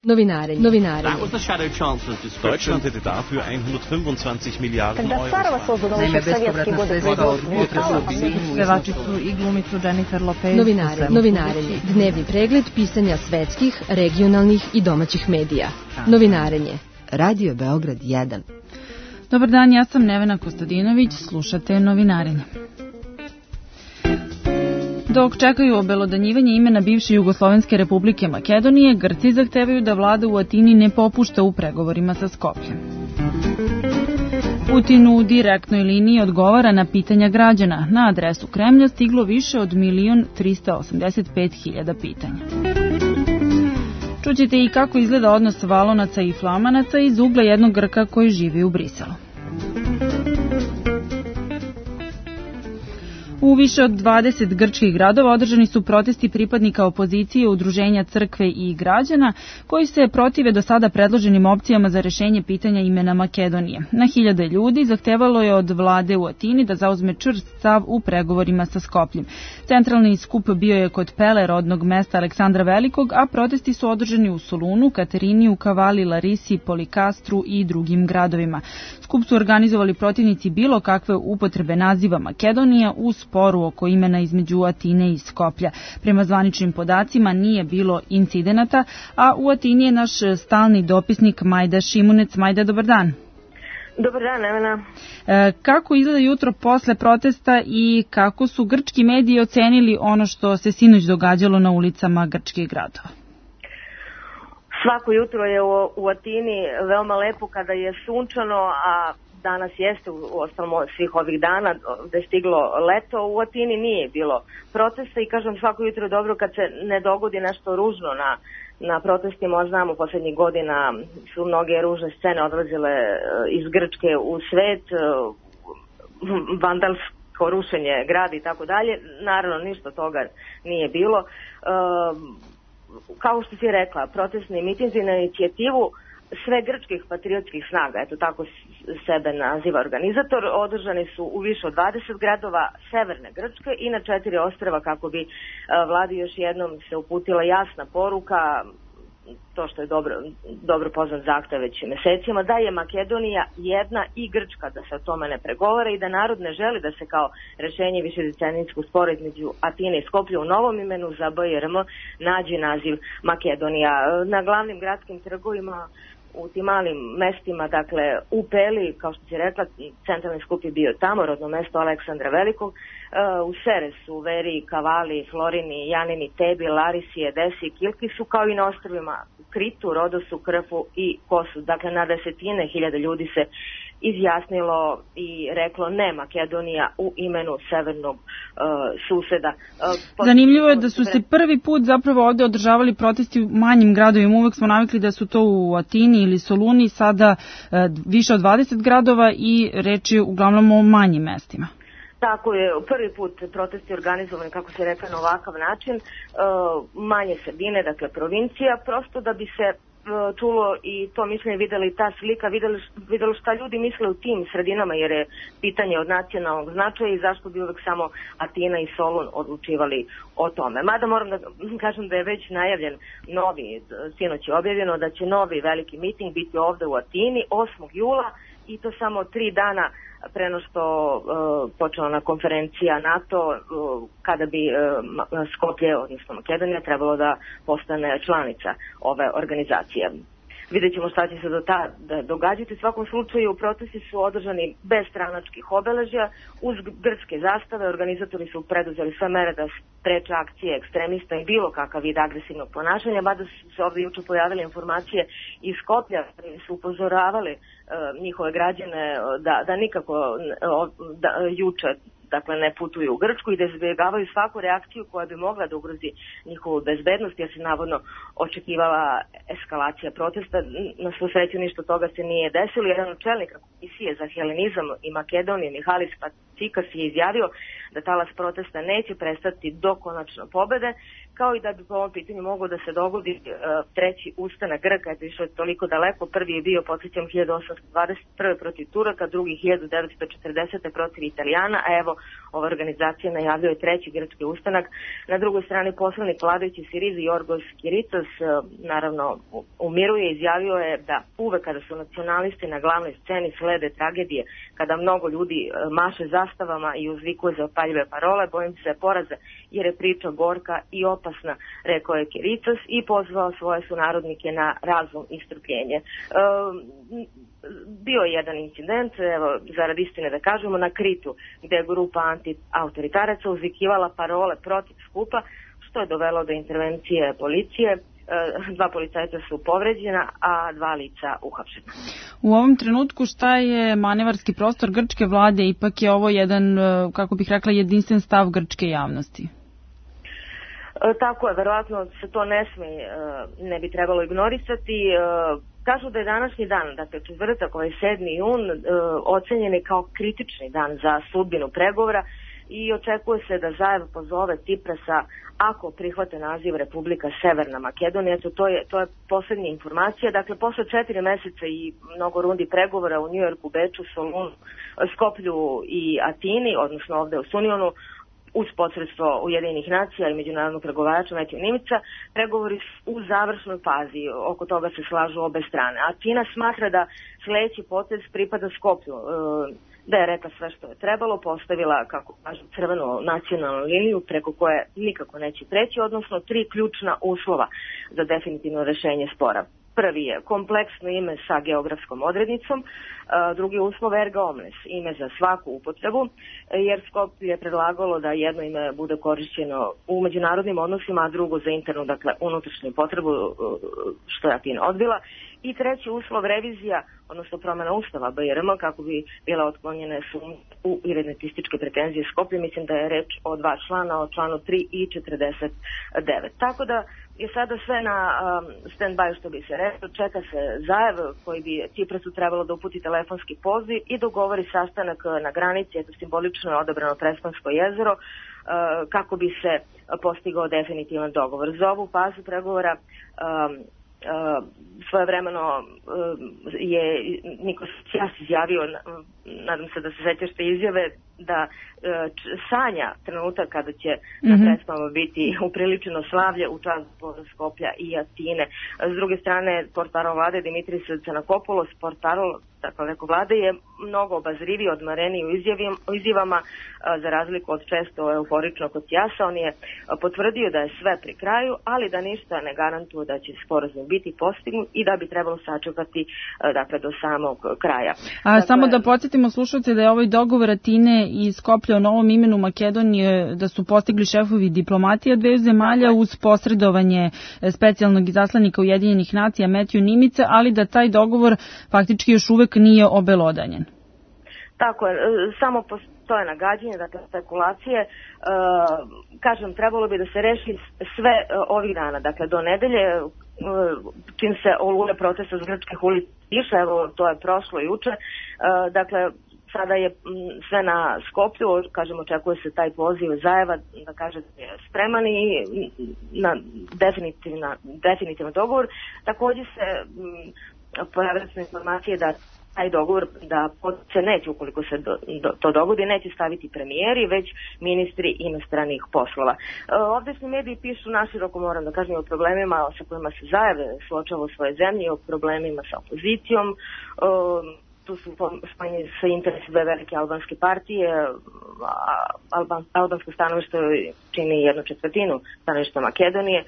Novinarenje. Deutschland hätte dafür 125 Miliarden Euro. Naime, bespovratna sredstva od potresa u visinu. Pevačicu i glumicu Jennifer Lopez. Novinarenje. Dnevni pregled pisanja svetskih, regionalnih i domaćih medija. Novinarenje. Radio Beograd 1. Dobar dan, ja sam Nevena Kostadinović, slušate Novinarenje. Dok čekaju obelodanjivanje imena bivše Jugoslovenske republike Makedonije, Grci zahtevaju da vlada u Atini ne popušta u pregovorima sa Skopljem. Putin u direktnoj liniji odgovara na pitanja građana. Na adresu Kremlja stiglo više od 1.385.000 pitanja. Čućete i kako izgleda odnos Valonaca i Flamanaca iz ugla jednog Grka koji živi u Briselu. U više od 20 grčkih gradova održani su protesti pripadnika opozicije, udruženja crkve i građana koji se protive do sada predloženim opcijama za rešenje pitanja imena Makedonije. Na hiljade ljudi zahtevalo je od vlade u Atini da zauzme čvrst stav u pregovorima sa Skopljem. Centralni skup bio je kod Pele, rodnog mesta Aleksandra Velikog, a protesti su održani u Solunu, Katerini, Kavali, Larisi, Polikastru i drugim gradovima. Skup su organizovali protivnici bilo kakve upotrebe naziva Makedonija u sporu oko imena između Atine i Skoplja. Prema zvaničnim podacima nije bilo incidenata, a u Atini je naš stalni dopisnik Majda Šimunec. Majda, dobar dan. Dobar dan, Nevena. Kako izgleda jutro posle protesta i kako su grčki mediji ocenili ono što se sinoć događalo na ulicama grčkih gradova? Svako jutro je u Atini veoma lepo kada je sunčano, a danas jeste, u ostalom svih ovih dana da je stiglo leto. U Atini nije bilo protesta i kažem svako jutro je dobro kad se ne dogodi nešto ružno na protestima. Znamo, poslednjih godina su mnoge ružne scene odlazile iz Grčke u svet, vandalsko rušenje grada i tako dalje. Naravno, ništa toga nije bilo. Kao što si rekla, protestni mitinzi na inicijativu sve grčkih patriotskih snaga, eto tako sebe naziva organizator, održani su u više od 20 gradova severne Grčke i na 4 ostrva kako bi vladi još jednom se uputila jasna poruka, to što je dobro poznat zahtev već mesecima, da je Makedonija jedna i Grčka, da se o tome ne pregovara i da narod ne želi da se kao rešenje višedecenijskog spora između Atine i Skoplja u novom imenu za BRM nađe naziv Makedonija. Na glavnim gradskim trgovima u tim malim mestima, dakle u Peli, kao što si rekla, centralni skup je bio tamo, rodno mesto Aleksandra Velikog, u Seresu, Veri, Kavali, Florini, Janini, Tebi, Larisi, Edesi, Kilki su kao i na ostrvima Kritu, Rodosu, Krfu i Kosu. Dakle, na desetine hiljada ljudi se izjasnilo i reklo ne Makedonija u imenu severnog suseda. Zanimljivo je da su se prvi put zapravo ovde održavali protesti u manjim gradovima. Uvek smo navikli da su to u Atini ili Soluni, sada više od 20 gradova i reč je uglavnom o manjim mestima. Tako je, prvi put protesti organizovani, kako se rekla, na ovakav način, manje sredine, dakle provincija, prosto da bi se čulo i to mišljenje, videli ta slika, videlo šta ljudi misle u tim sredinama, jer je pitanje od nacionalnog značaja i zašto bi uvek samo Atina i Solun odlučivali o tome. Mada moram da kažem da je već najavljen novi, sinoć je objavljeno da će novi veliki miting biti ovde u Atini 8. jula i to samo 3 dana preno što počela na konferencija NATO kada bi Skoplje, odnosno Makedonija, trebalo da postane članica ove organizacije. Vidjet ćemo šta će se događati. U svakom slučaju protesti su održani bez stranačkih obeležja, uz grčke zastave. Organizatori su preduzeli sve mere da spreče akcije ekstremista i bilo kakav vid agresivnog ponašanja, mada su se ovdje juče pojavile informacije iz Skoplja koji su upozoravali njihove građane da nikako juče dakle ne putuju u Grčku i da izbjegavaju svaku reakciju koja bi mogla da ugrozi njihovu bezbednost, jer se navodno očekivala eskalacija protesta. Na svu sreću ništa toga se nije desilo. Jedan od čelnika Komisije za helenizam i Makedoniju, Mihalis Patsikas, je izjavio da talas protesta neće prestati do konačne pobede, kao i da bi po ovom pitanju mogao da se dogodi treći ustanak Grka, eto išao je toliko daleko, prvi je bio, podsjećam, 1821. protiv Turaka, drugi 1940. protiv Italijana, a evo ova organizacija najavljuje treći grčki ustanak. Na drugoj strani poslanik vladajući Siriza Jorgos Kiritos naravno umiruje, izjavio je da uvek kada su nacionalisti na glavnoj sceni slede tragedije, kada mnogo ljudi maše zastavama i uzvikuje za opaljive parole, bojim se poraza jer je priča gorka i opasna, rekao je Kiritos i pozvao svoje sunarodnike na razum i strpljenje. Bio je jedan incident, evo, zarad istine da kažemo, na Kritu, gde je grupa anti-autoritaraca uzvikivala parole protiv skupa, što je dovelo do intervencije policije. 2 policajca su povređena, a 2 lica uhapšena. U ovom trenutku šta je manevarski prostor grčke vlade? Ipak je ovo jedan, kako bih rekla, jedinstven stav grčke javnosti. Tako je, verovatno se to ne bi trebalo ignorisati. Kažu da je današnji dan, dakle četvrtak, ovaj 7. jun, ocenjen je kao kritični dan za sudbinu pregovora i očekuje se da Zaev pozove Ciprasa ako prihvate naziv Republika Severna Makedonija. To je poslednja informacija. Dakle, posle 4 meseca i mnogo rundi pregovora u Njujorku, Beču, Solunu, Skoplju i Atini, odnosno ovde u Sunionu, uz posredstvo Ujedinjenih nacija i međunarodnog pregovarača Metju Nimica, pregovori u završnoj fazi, oko toga se slažu obe strane. Atina smatra da sledeći potez pripada Skoplju, da je rekla sve što je trebalo, postavila, kako kažu, crvenu nacionalnu liniju preko koje nikako neće preći, odnosno 3 ključna uslova za definitivno rešenje spora. Prvi je kompleksno ime sa geografskom odrednicom, drugi uslov erga omnes, ime za svaku upotrebu, jer Skoplje je predlagalo da jedno ime bude korišćeno u međunarodnim odnosima, a drugo za internu, dakle unutrašnju potrebu, što je Atina odbila. I treći uslov revizija, odnosno promjena ustava BiRM, kako bi bila otklonjene sumnje u identističke pretenzije Skoplje. Mislim da je reč o 2 člana, o članu 3 i 49. Tako da je sada sve na stand-by, što bi se rekao. Čeka se Zaev, koji bi Ciprasu trebalo da uputi telefonski poziv i dogovori sastanak na granici, eto simbolično je odabrano Prespansko jezero, kako bi se postigao definitivan dogovor. Za ovu fazu pregovora svojevremeno je Nikos Tsias izjavio, nadam se da se sećaš te izjave, da sanja trenutak kada će na predstavama biti upriličeno slavlje u čast Skoplja i Atine. S druge strane, portparol vlade Dimitris Tsanakopoulos, portparol vlade, je mnogo obazriviji, odmareniji u izjavama, za razliku od često euforičnog od Tsiasa. On je potvrdio da je sve pri kraju, ali da ništa ne garantuje da će sporazum biti postignut i da bi trebalo sačekati dakle, do samog kraja. Samo da podsjetimo slušalce da je ovaj dogovor Atine i Skoplja o novom imenu Makedonije da su postigli šefovi diplomatija dveju zemalja uz posredovanje specijalnog izaslanika Ujedinjenih nacija Metju Nimica, ali da taj dogovor faktički još uvek nije obelodanjen. Tako je, samo postoje nagađanje, dakle spekulacije. Kažem, trebalo bi da se reši sve ovih dana, dakle do nedelje, čim se oluje protesta s grčkih ulica iša, evo to je prošlo juče, dakle sada je sve na Skoplju, kažem, očekuje se taj poziv Zaeva da kaže da je spreman i na definitivan dogovor. Takođe se pojavile su informacije da taj dogovor, da se neće, ukoliko se to dogodi, neće staviti premijeri, već ministri inostranih poslova. Ovdje mediji pišu naširoko, moram da kažem, o problemima sa kojima se Zaev suočava u svojoj zemlji, o problemima sa opozicijom. Tu su spomenuli sa interesi dve velike albanske partije, albansko stanovište čini 1/4 stanovišta Makedonije.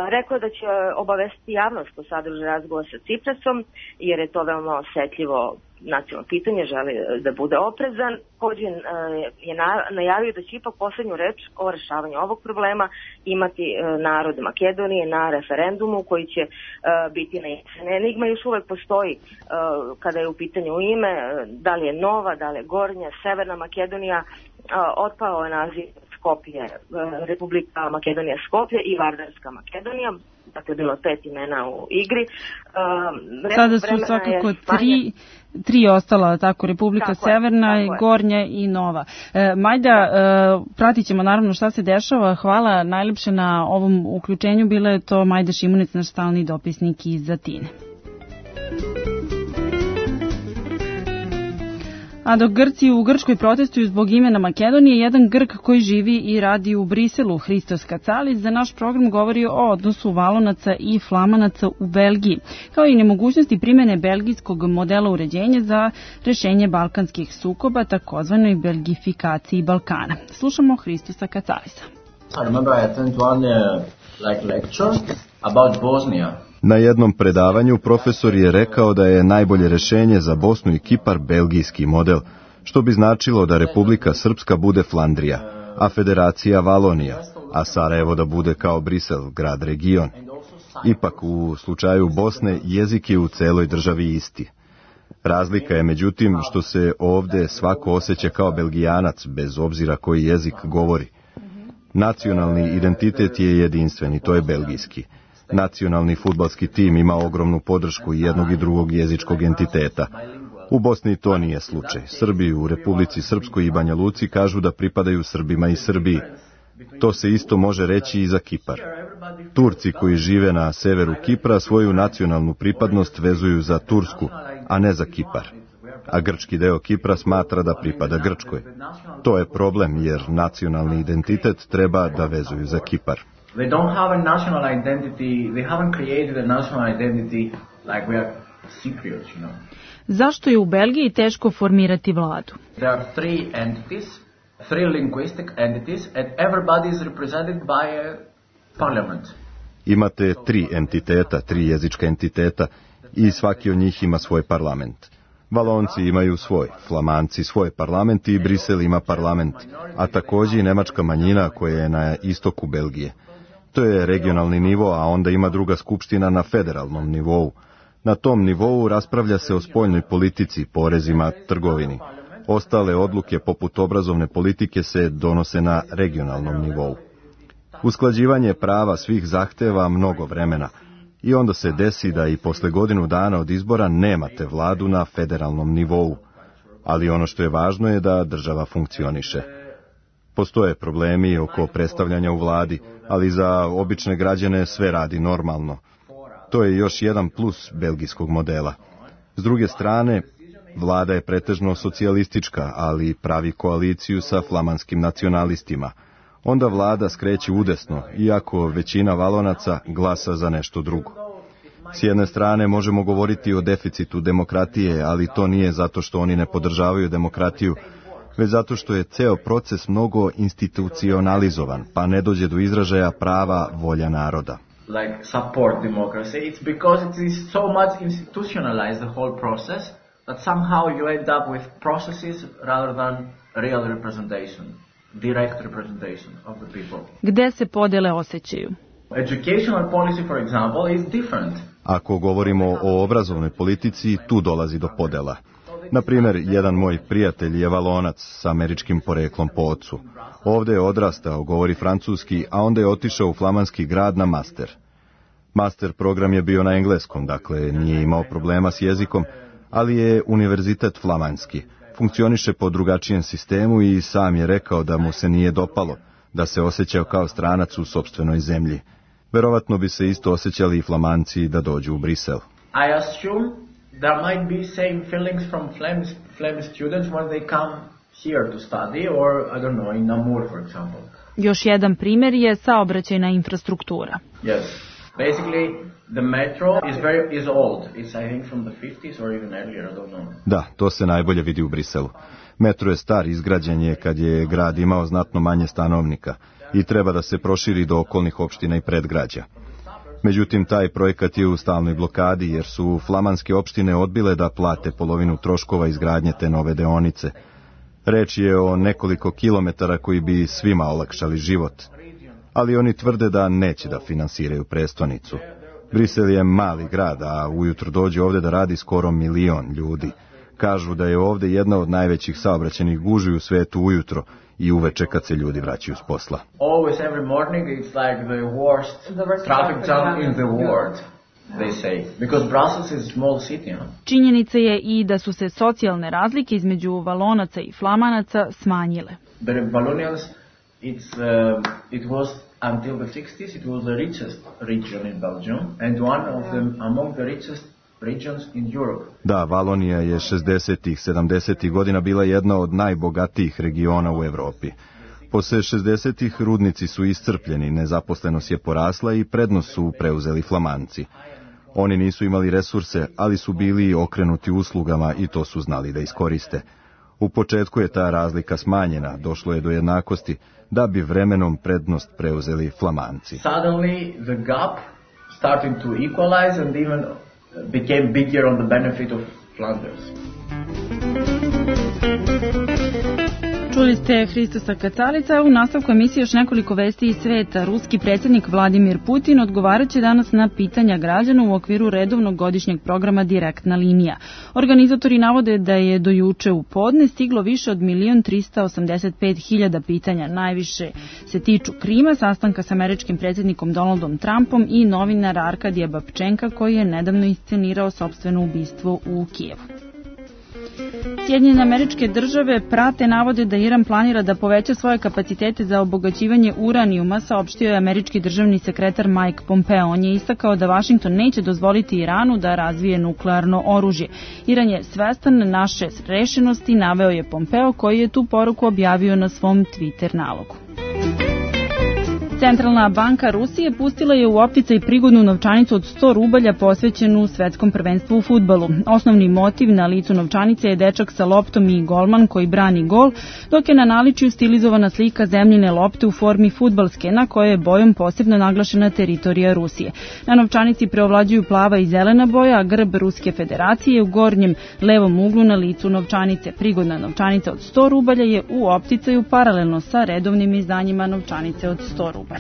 Rekao je da će obavestiti javnost o sadržaju razgovora sa Ciprasom, jer je to veoma osetljivo nacionalno pitanje, želi da bude oprezan. Također je najavio da će ipak poslednju reč o rešavanju ovog problema imati narod Makedonije na referendumu koji će biti na jesen. Enigma još uvek postoji kada je u pitanju ime, da li je Nova, da li je Gornja, Severna Makedonija. Otpao je naziv Skoplje, Republika Makedonija Skoplje i Vardarska Makedonija. dakle bilo 5 imena u igri. Sada su svakako tri ostala, tako, Republika Severna, Gornja i Nova. Majda, pratit ćemo naravno šta se dešava. Hvala najlepše na ovom uključenju. Bila je to Majda Šimunic, naš stalni dopisnik iz Atine. A dok Grci u Grčkoj protestuju zbog imena Makedonije, jedan Grk koji živi i radi u Briselu, Hristos Kacalis, za naš program govori o odnosu Valonaca i Flamanaca u Belgiji, kao i nemogućnosti primjene belgijskog modela uređenja za rešenje balkanskih sukoba, takozvanoj belgifikaciji Balkana. Slušamo Hristosa Kacalisa. I remember I attended one lecture about Bosnia. Na jednom predavanju profesor je rekao da je najbolje rešenje za Bosnu i Kipar belgijski model, što bi značilo da Republika Srpska bude Flandrija, a Federacija Valonija, a Sarajevo da bude kao Brisel, grad region. Ipak u slučaju Bosne jezik je u celoj državi isti. Razlika je međutim što se ovde svako osjeća kao Belgijanac bez obzira koji jezik govori. Nacionalni identitet je jedinstven i to je belgijski. Nacionalni fudbalski tim ima ogromnu podršku jednog i drugog jezičkog entiteta. U Bosni to nije slučaj. Srbi u Republici Srpskoj i Banja Luci kažu da pripadaju Srbima i Srbiji. To se isto može reći i za Kipar. Turci koji žive na severu Kipra svoju nacionalnu pripadnost vezuju za Tursku, a ne za Kipar. A grčki deo Kipra smatra da pripada Grčkoj. To je problem jer nacionalni identitet treba da vezuju za Kipar. They don't have a national identity, they haven't created a national identity like we are Cypriots, you know. Zašto je u Belgiji teško formirati vladu? There are three entities, three linguistic entities, and everybody is represented by a parliament. Imate tri entiteta, tri jezička entiteta i svaki od njih ima svoj parlament. Valonci imaju svoj, Flamanci svoj parlament i Brisel ima parlament, a također i nemačka manjina koja je na istoku Belgije. To je regionalni nivo, a onda ima druga skupština na federalnom nivou. Na tom nivou raspravlja se o spoljnoj politici, porezima, trgovini. Ostale odluke poput obrazovne politike se donose na regionalnom nivou. Usklađivanje prava svih zahteva mnogo vremena i onda se desi da i posle godinu dana od izbora nemate vladu na federalnom nivou. Ali ono što je važno je da država funkcioniše. Postoje problemi oko predstavljanja u vladi, ali za obične građane sve radi normalno. To je još jedan plus belgijskog modela. S druge strane, vlada je pretežno socijalistička, ali pravi koaliciju sa flamanskim nacionalistima. Onda vlada skreće udesno, iako većina Valonaca glasa za nešto drugo. S jedne strane možemo govoriti o deficitu demokratije, ali to nije zato što oni ne podržavaju demokratiju, već zato što je ceo proces mnogo institucionalizovan, pa ne dođe do izražaja prava volja naroda. Like support democracy, it's because it is so much institutionalized the whole process that somehow you end up with processes rather than real representation, direct representation of the people. Gde se podele osjećaju? Educational policy, for example, is different. Ako govorimo o obrazovnoj politici, tu dolazi do podela. Na primjer, jedan moj prijatelj je Valonac sa američkim poreklom po ocu. Ovdje je odrastao, govori francuski, a onda je otišao u flamanski grad na master. Master program je bio na engleskom, dakle nije imao problema s jezikom, ali je univerzitet flamanski. Funkcioniše po drugačijem sistemu i sam je rekao da mu se nije dopalo, da se osjećao kao stranac u sopstvenoj zemlji. Verovatno bi se isto osjećali i Flamanci da dođu u Brisel. I assume there might be same feelings from Flemish students when they come here to study, or I don't know, in Namur, for example. Još jedan primjer je saobraćajna infrastruktura. Yes. Basically, the metro is old. It's, I think, from the 50s or even earlier, I don't know. Da, to se najbolje vidi u Briselu. Metro je star, izgrađen je kad je grad imao znatno manje stanovnika i treba da se proširi do okolnih opština i predgrađa. Međutim, taj projekat je u stalnoj blokadi jer su flamanske opštine odbile da plate polovinu troškova izgradnje te nove deonice. Reč je o nekoliko kilometara koji bi svima olakšali život. Ali oni tvrde da neće da finansiraju prestonicu. Brisel je mali grad, a ujutro dođe ovdje da radi skoro 1 milion ljudi. Kažu da je ovdje jedna od najvećih saobraćajnih gužvi u svetu ujutro i uveče kad se ljudi vraćaju s posla. Always every morning it's like the worst traffic jam in the world. They say, because Brussels is a small city. Činjenica je i da su se socijalne razlike između Valonaca i Flamanaca smanjile. The Wallonians, it was until the 60s, it was the richest region in Belgium and one of them among the richest regions in Europe. Da, Valonija je 60-ih, 70-ih godina bila jedna od najbogatijih regiona u Evropi. Posle 60-ih rudnici su iscrpljeni, nezaposlenost je porasla i prednost su preuzeli Flamanci. Oni nisu imali resurse, ali su bili okrenuti uslugama i to su znali da iskoriste. U početku je ta razlika smanjena, došlo je do jednakosti, da bi vremenom prednost preuzeli Flamanci. Suddenly the gap started to equalize and even became bigger on the benefit of Flanders. Čuli ste Hristosa Kacalica, u nastavku emisije još nekoliko vesti iz sveta. Ruski predsjednik Vladimir Putin odgovaraće danas na pitanja građana u okviru redovnog godišnjeg programa Direktna linija. Organizatori navode da je do juče u podne stiglo više od 1.385.000 pitanja. Najviše se tiču Krima, sastanka s američkim predsjednikom Donaldom Trumpom i novinara Arkadija Babčenka koji je nedavno iscenirao sopstveno ubistvo u Kijevu. Sjedinjene Američke Države prate navode da Iran planira da poveća svoje kapacitete za obogaćivanje uranijuma, saopštio je američki državni sekretar Mike Pompeo. On je istakao da Vašington neće dozvoliti Iranu da razvije nuklearno oružje. Iran je svestan naše rešenosti, naveo je Pompeo, koji je tu poruku objavio na svom Twitter nalogu. Centralna banka Rusije pustila je u opticaj prigodnu novčanicu od 100 rubalja posvećenu svetskom prvenstvu u fudbalu. Osnovni motiv na licu novčanice je dečak sa loptom i golman koji brani gol, dok je na naličju stilizovana slika zemljine lopte u formi fudbalske, na kojoj je bojom posebno naglašena teritorija Rusije. Na novčanici preovlađuju plava i zelena boja, a grb Ruske federacije u gornjem levom uglu na licu novčanice. Prigodna novčanica od 100 rubalja je u opticaju paralelno sa redovnim izdanjima novčanice od 100 rubalja.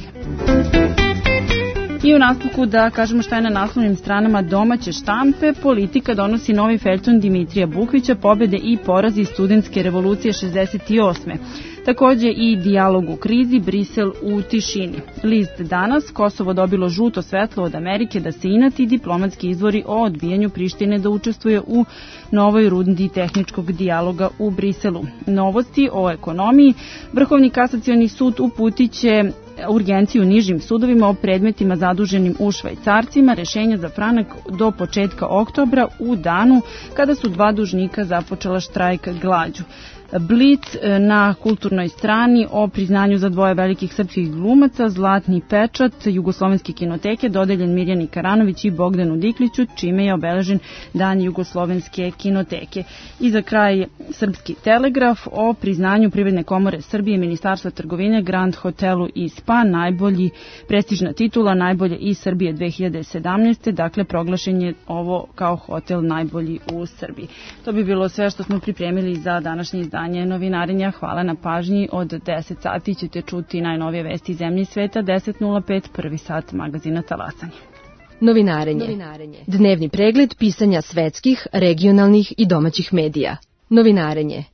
I u nastavku da kažemo šta je na naslovnim stranama domaće štampe. Politika donosi novi feljton Dimitrija Bukvića, pobjede i porazi studentske revolucije 68. Takođe i dijalog u krizi, Brisel u tišini. List danas, Kosovo dobilo žuto svetlo od Amerike da se inati, diplomatski izvori o odbijanju Prištine da učestvuje u novoj rundi tehničkog dijaloga u Briselu. Novosti o ekonomiji, Vrhovni kasacioni sud uputiće urgenciju nižim sudovima o predmetima zaduženim u švajcarcima, rešenja za franak do početka oktobra u danu kada su dva dužnika započela štrajk glađu. Blic na kulturnoj strani o priznanju za dvoje velikih srpskih glumaca, Zlatni pečat Jugoslovenske kinoteke dodeljen Mirjani Karanović i Bogdanu Dikliću, čime je obeležen Dan Jugoslovenske kinoteke. I za kraj Srpski telegraf o priznanju Privredne komore Srbije, Ministarstva trgovine, Grand Hotelu i Spa, najbolji prestižna titula, najbolje iz Srbije 2017. Dakle, proglašen je ovo kao hotel najbolji u Srbiji. To bi bilo sve što smo pripremili za današnji izdanje Novinarenja. Hvala na pažnji. Od 10 sati ćete čuti najnovije vesti iz zemlje i sveta. 10:05, prvi sat magazina Talasanje. Novinarenje. Dnevni pregled pisanja svetskih, regionalnih i domaćih medija. Novinarenje.